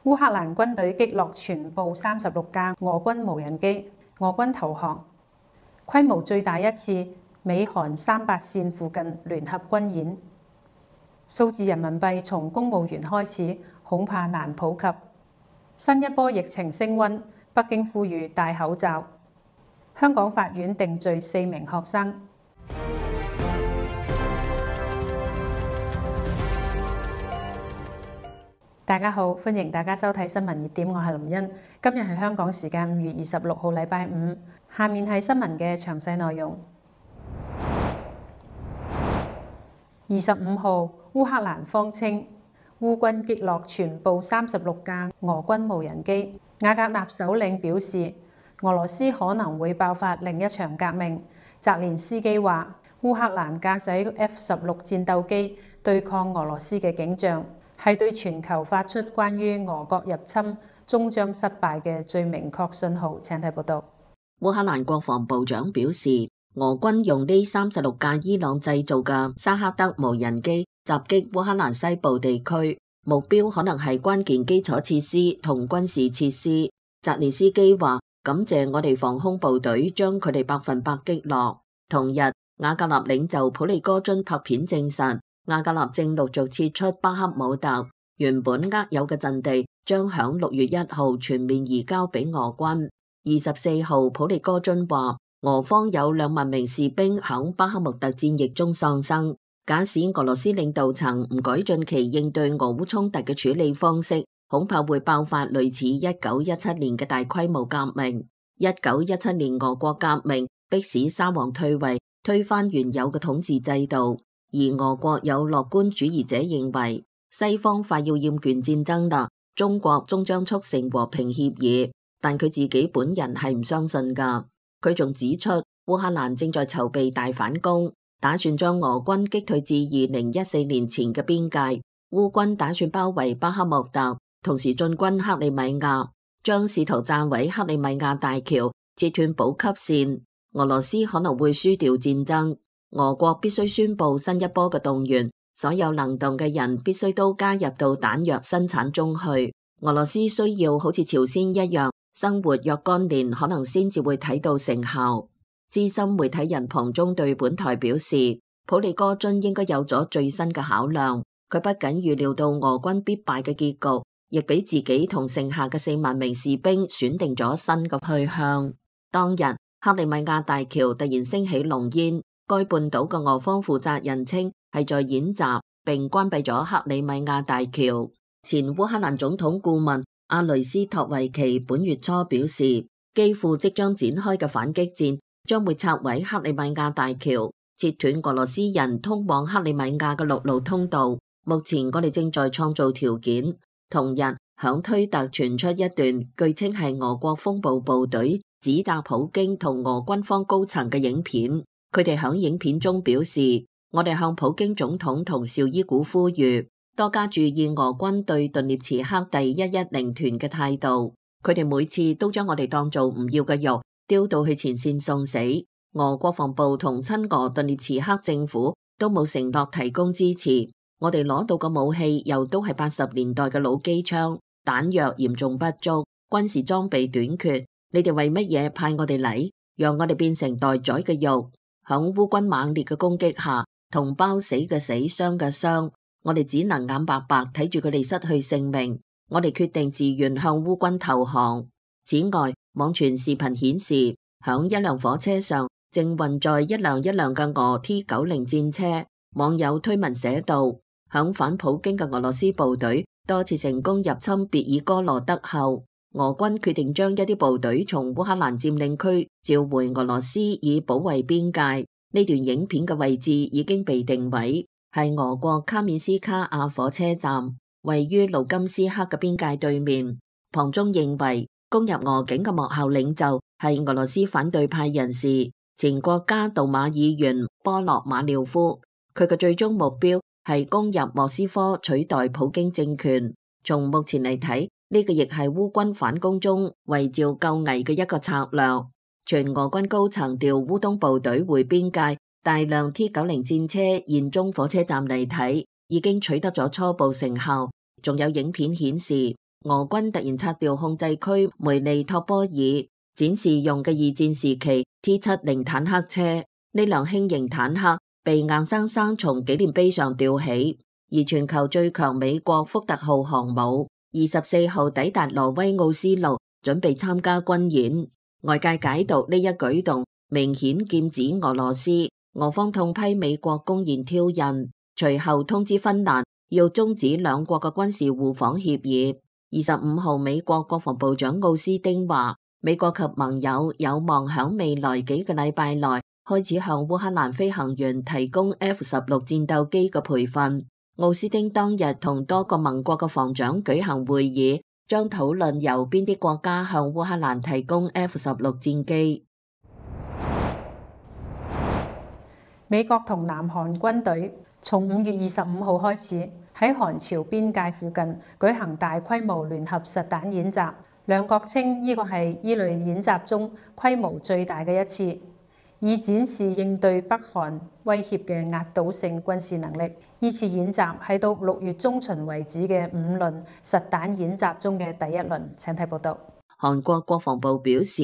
烏克蘭軍隊擊落全部36架俄軍無人機，俄軍投降，規模最大一次美韓300線附近聯合軍演。數字人民幣從公務員開始，恐怕難普及。新一波疫情升溫，北京呼籲戴口罩。香港法院定罪4名學生。大家好，歡迎大家收睇新聞熱點，我係林茵。今日係香港時間5月26號，禮拜五。下面係新聞嘅詳細內容。25號，烏克蘭方稱烏軍擊落全部36架俄軍無人機。瓦格納首領表示，俄羅斯可能會爆發另一場革命。澤連斯基話，烏克蘭駕駛 F-16戰鬥機對抗俄羅斯嘅景象，係對全球發出關於俄國入侵終將失敗嘅最明確信號。請睇報道。烏克蘭國防部長表示，俄軍用呢36架伊朗製造嘅沙克德無人機襲擊烏克蘭西部地區，目標可能係關鍵基礎設施同軍事設施。澤連斯基話，感謝我哋防空部隊將佢哋100%擊落。同日，瓦格納領袖普利戈津拍片證實，瓦格納正陸續撤出巴克姆特，原本握有嘅陣地將響6月1號全面移交俾俄軍。24號，普利戈津話，俄方有2萬名士兵響巴克穆特戰役中喪生。假使俄羅斯領導層唔改進其應對俄烏衝突嘅處理方式，恐怕會爆發類似1917年嘅大規模革命。1917年俄國革命迫使沙皇退位，推翻原有嘅統治制度。而俄國有樂觀主義者認為，西方快要厭倦戰爭啦，中國終將促成和平協議。但佢自己本人係唔相信噶。佢仲指出，烏克蘭正在籌備大反攻，打算將俄軍擊退至2014年前嘅邊界。烏軍打算包圍巴克穆特，同時進軍克里米亞，將試圖炸毀克里米亞大橋，切斷補給線。俄羅斯可能會輸掉戰爭。俄國必須宣布新一波嘅動員，所有能動嘅人必須都加入到彈藥生產中去。俄羅斯需要好似朝鮮一樣生活若干年，可能先至會睇到成效。資深媒體人龐中對本台表示，普利戈津應該有咗最新嘅考量。佢不僅預料到俄軍必敗嘅結局，亦俾自己同剩下嘅4萬名士兵選定咗新嘅去向。當日，克里米亞大橋突然升起濃煙，該半島嘅俄方負責人稱係在演習，並關閉咗克里米亞大橋。前烏克蘭總統顧問阿雷斯托維奇本月初表示，基輔即將展開嘅反擊戰將會拆毀克里米亞大橋，切斷俄羅斯人通往克里米亞嘅陸路通道。目前我哋正在創造條件。同日，響推特傳出一段據稱係俄國風暴部隊指責普京同俄軍方高層嘅影片。佢哋響影片中表示，我哋向普京總統同紹伊古呼籲，多加注意俄軍對頓涅茨克第110團嘅態度。佢哋每次都將我哋當做唔要嘅肉，丟到去前線送死。俄國防部同親俄頓涅茨克政府都冇承諾提供支持。我哋攞到嘅武器又都係80年代嘅老機槍，彈藥嚴重不足，軍事裝備短缺。你哋為乜嘢派我哋嚟，讓我哋變成待宰嘅肉？響烏軍猛烈嘅攻擊下，同胞死嘅死，傷嘅傷，我哋只能眼白白睇住佢哋失去性命。我哋決定自願向烏軍投降。此外，網傳視頻顯示，響一輛火車上正運載一輛嘅俄 T-90戰車。網友推文寫道，響反普京嘅俄羅斯部隊多次成功入侵別爾哥羅德後，俄軍決定將一啲部隊從烏克蘭佔領區召回俄羅斯，以保衛邊界。呢段影片嘅位置已經被定位，係俄國卡緬斯卡亞火車站，位於盧甘斯克嘅邊界對面。龐中認為，攻入俄境嘅幕後領袖係俄羅斯反對派人士，前國家杜馬議員波洛馬廖夫。佢嘅最終目標係攻入莫斯科，取代普京政權。從目前嚟睇，呢個亦係烏軍反攻中圍剿救危嘅一個策略。全俄軍高層調烏東部隊回邊界，大量 T-90戰車現蹤火車站嚟睇，已經取得咗初步成效。仲有影片顯示，俄軍突然拆掉控制區梅利托波爾，展示用嘅二戰時期 T-70坦克車。呢輛輕型坦克被硬生生從紀念碑上吊起。而全球最強美國福特號航母24號抵達挪威奧斯陸，準備參加軍演。外界解讀呢一舉動明顯劍指俄羅斯，俄方痛批美國公然挑釁，隨後通知芬蘭要終止兩國嘅軍事互訪協議。25號美國國防部長奧斯丁話，美國及盟友有望響未來幾個禮拜內開始向烏克蘭飛行員提供 F-16戰鬥機嘅培訓。奧斯丁當日同多個盟國嘅防長舉行會議，將討論由邊啲國家向烏克蘭提供 F-16戰機。美國同南韓軍隊從5月25號開始喺韓朝邊界附近舉行大規模聯合實彈演習，兩國稱呢個係呢類演習中規模最大嘅一次，以展示應對北韓威脅嘅壓倒性軍事能力。呢次演習係到6月中旬為止嘅5輪實彈演習中嘅第一輪。請睇報道。韓國國防部表示，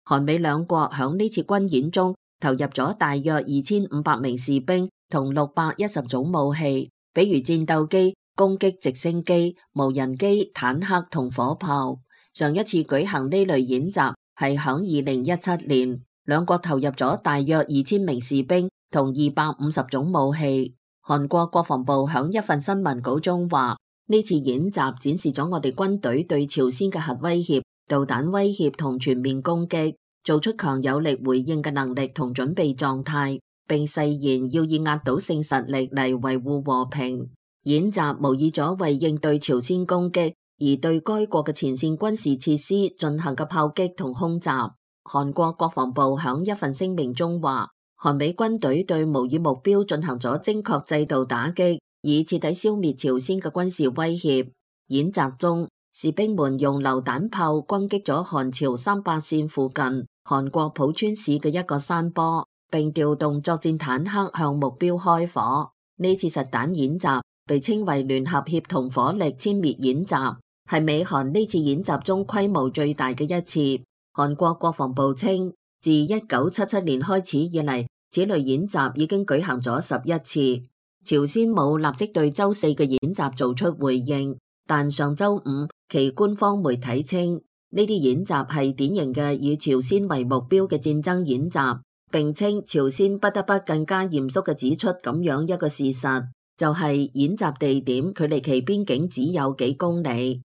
韓美兩國響呢次軍演中投入咗大約2500名士兵同610種武器，比如戰鬥機、攻擊直升機、無人機、坦克同火炮。上一次舉行呢類演習係響2017年，兩國投入咗大約2000名士兵同250種武器。韓國國防部響一份新聞稿中話，呢次演習展示咗我哋軍隊對朝鮮嘅核威脅、導彈威脅同全面攻擊做出強有力回應嘅能力同準備狀態，並誓言要以壓倒性實力嚟維護和平。演習模擬咗為應對朝鮮攻擊而對該國嘅前線軍事設施進行嘅炮擊同空襲。韓國國防部響一份聲明中話，韓美軍隊對模擬目標進行咗精確制度打擊，以徹底消滅朝鮮嘅軍事威脅。演習中，士兵們用榴彈炮攻擊咗韓朝38線附近韓國浦川市嘅一個山坡，並調動作戰坦克向目標開火。呢次實彈演習被稱為聯合協同火力殲滅演習，係美韓呢次演習中規模最大嘅一次。韓國國防部稱，自1977年開始以嚟，此類演習已經舉行咗11次。朝鮮冇立即對周4嘅演習做出回應，但上周5其官方媒體稱，呢啲演習係典型嘅以朝鮮為目標嘅戰爭演習，並稱朝鮮不得不更加嚴肅嘅指出咁樣一個事實，就係演習地點距離其邊境只有幾公里。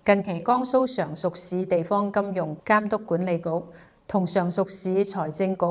近期江蘇常熟市地方金融監督管理局同常熟市財政局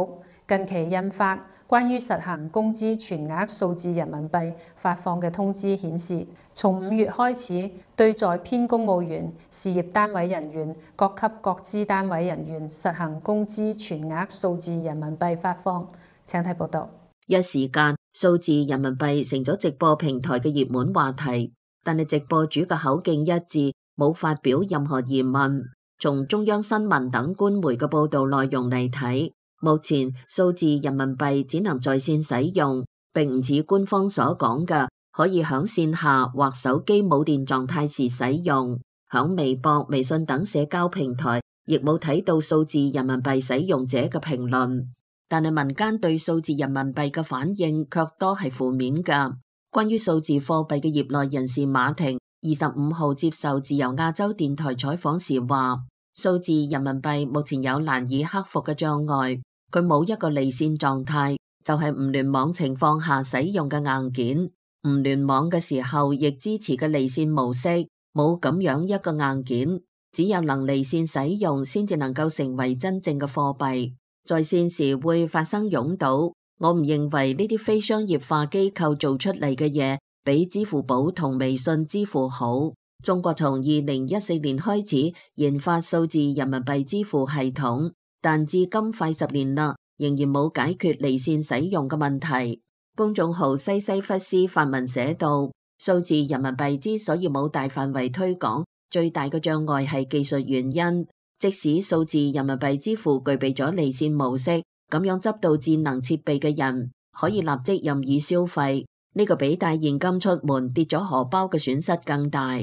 近期印發關於實行工資全額數字人民幣發放嘅通知顯示，從5月開始，對在編公務員、事業單位人員、各級各資單位人員實行工資全額數字人民幣發放。請睇報道。一時間，數字人民幣成咗直播平台嘅熱門話題，但係直播主嘅口徑一致，冇發表任何疑問。從中央新聞等官媒嘅報道內容嚟睇，目前數字人民幣只能在線使用，並唔似官方所講嘅可以響線下或手機冇電狀態時使用。響微博、微信等社交平台亦冇睇到數字人民幣使用者嘅評論，但係民間對數字人民幣嘅反應卻多係負面㗎。關於數字貨幣嘅業內人士馬婷25號接受自由亞洲電台採訪時話，數字人民幣目前有難以克服嘅障礙，佢冇一個離線狀態，就係唔聯網情況下使用嘅硬件，唔聯網嘅時候亦支持嘅離線模式，冇咁樣一個硬件，只有能離線使用先至能夠成為真正嘅貨幣。在線時會發生擁堵，我唔認為呢啲非商業化機構做出嚟嘅嘢比支付寶同微信支付好。中國從2014年開始研發數字人民幣支付系統，但至今快10年啦，仍然冇解決離線使用嘅問題。公眾號西西弗斯發文寫道，數字人民幣之所以冇大範圍推廣，最大嘅障礙係技術原因。即使數字人民幣支付具備咗離線模式，咁樣執到智能設備嘅人可以立即任意消費，呢個比帶現金出門跌咗荷包嘅損失更大。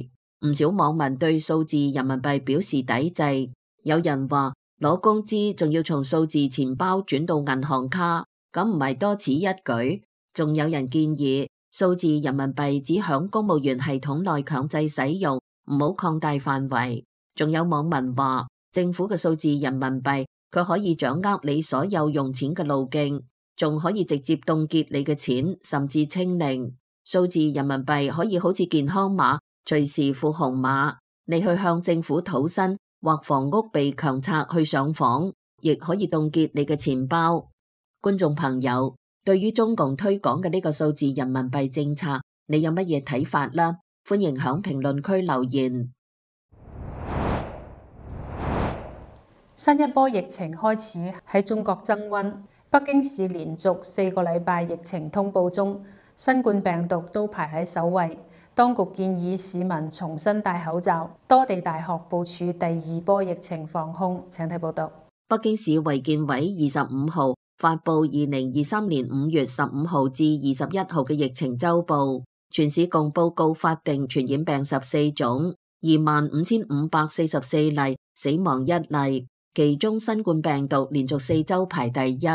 唔少網民對數字人民幣表示抵制，有人話攞工資仲要從數字錢包轉到銀行卡，咁唔係多此一舉？仲有人建議數字人民幣只響公務員系統內強制使用，唔好擴大範圍。仲有網民話政府嘅數字人民幣佢可以掌握你所有用錢嘅路徑，仲可以直接凍結你嘅錢，甚至清零。數字人民幣可以好似健康碼，隨時付紅碼。你去向政府討薪或房屋被強拆去上訪，亦可以凍結你嘅錢包。觀眾朋友，對於中共推廣嘅呢個數字人民幣政策，你有乜嘢睇法啦？歡迎響評論區留言。新一波疫情開始喺中國增溫，北京市連續4個禮拜疫情通報中，新冠病毒都排喺首位。當局建議市民重新戴口罩。多地大學部署第2波疫情防控。請睇報道。北京市衛健委25號發布2023年5月15號至21號嘅疫情週報，全市共報告法定傳染病14種，25,544例，死亡1例。其中新冠病毒連續4週排第一。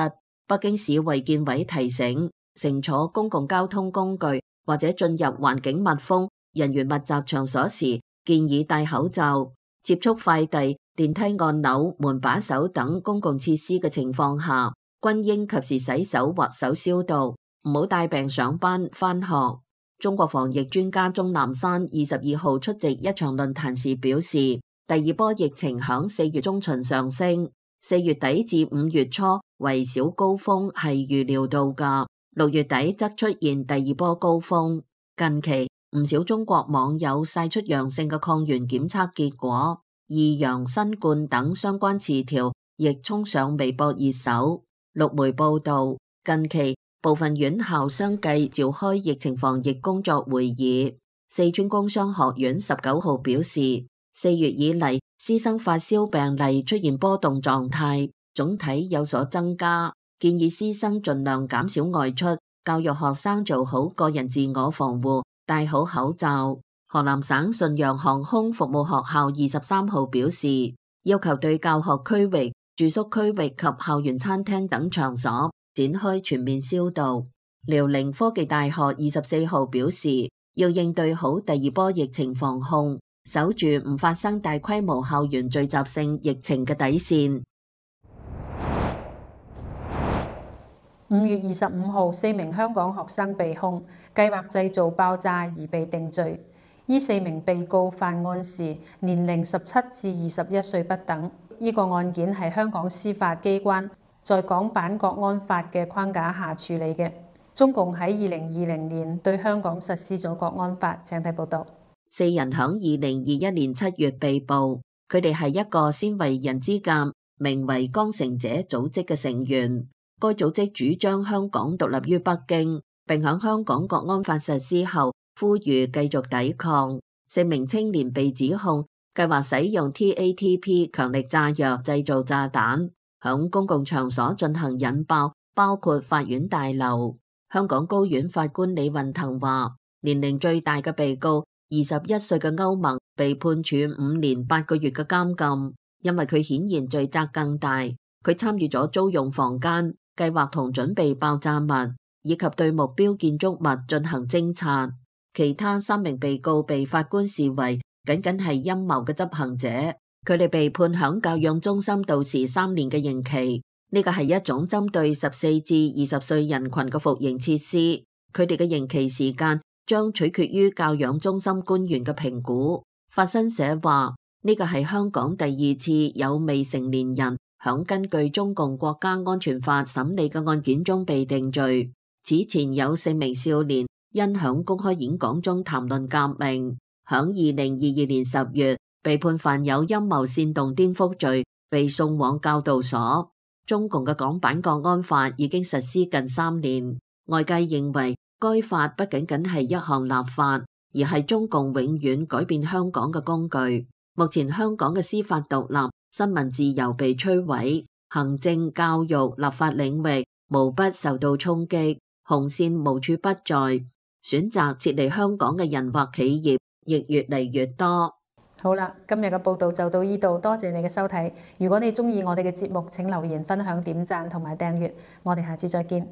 北京市衛健委提醒，乘坐公共交通工具或者進入環境密封、人員密集場所時，建議戴口罩。接觸快遞、電梯按鈕、門把手等公共設施嘅情況下，均應及時洗手或手消毒，唔好帶病上班、返學。中國防疫專家鍾南山22號出席一場論壇時表示，第2波疫情響4月中旬上升，4月底至5月初為小高峰係預料到㗎，6月底則出現第2波高峰。近期唔少中國網友曬出陽性嘅抗原檢測結果，異陽新冠等相關詞條亦衝上微博熱搜。陸媒報道，近期部分院校相繼召開疫情防疫工作會議。四川工商學院19號表示，4月以嚟，師生發燒病例出現波動狀態，總體有所增加，建議師生盡量減少外出，教育學生做好個人自我防護，戴好口罩。河南省順陽航空服務學校23號表示，要求對教學區域、住宿區域及校園餐廳等場所展開全面消毒。遼寧科技大學24號表示，要應對好第2波疫情防控，守住唔發生大規模校園聚集性疫情嘅底線。5月25號，4名香港學生被控計劃製造爆炸而被定罪。呢4名被告犯案時年齡17至21歲不等。呢個案件係香港司法機關在港版國安法嘅框架下處理嘅。中共喺2020年對香港實施咗國安法。請睇報道。4人響2021年7月被捕，佢哋係一個鮮為人知嘅名為江城者組織嘅成員。該組織主張香港獨立於北京，並響香港國安法實施後呼籲繼續抵抗。4名青年被指控計劃使用 TATP 強力炸藥製造炸彈，響公共場所進行引爆，包括法院大樓。香港高院法官李運騰話，年齡最大嘅被告21歲嘅歐盟被判處5年8個月嘅監禁，因為佢顯然罪責更大。佢參與咗租用房間、計劃同準備爆炸物，以及對目標建築物進行偵察。其他3名被告被法官視為僅僅係陰謀嘅執行者，佢哋被判響教養中心度時3年嘅刑期。呢個係一種針對14至20歲人群嘅服刑設施，佢哋嘅刑期時間將取決於教養中心官員嘅評估。法新社話，呢個係香港第2次有未成年人響根據中共國家安全法審理嘅案件中被定罪。此前有4名少年因響公開演講中談論革命，響2022年10月被判犯有陰謀煽動顛覆罪，被送往教導所。中共嘅港版國安法已經實施近3年，外界認為該法不僅僅係一項立法，而係中共永遠改變香港嘅工具。目前香港嘅司法獨立、新聞自由被摧毀，行政、教育、立法領域無不受到衝擊，紅線無處不在。選擇撤離香港嘅人或企業亦越嚟越多。好啦，今日嘅報道就到呢度，多謝你嘅收睇。如果你鍾意我哋嘅節目，請留言、分享、點讚同埋訂閱。我哋下次再見。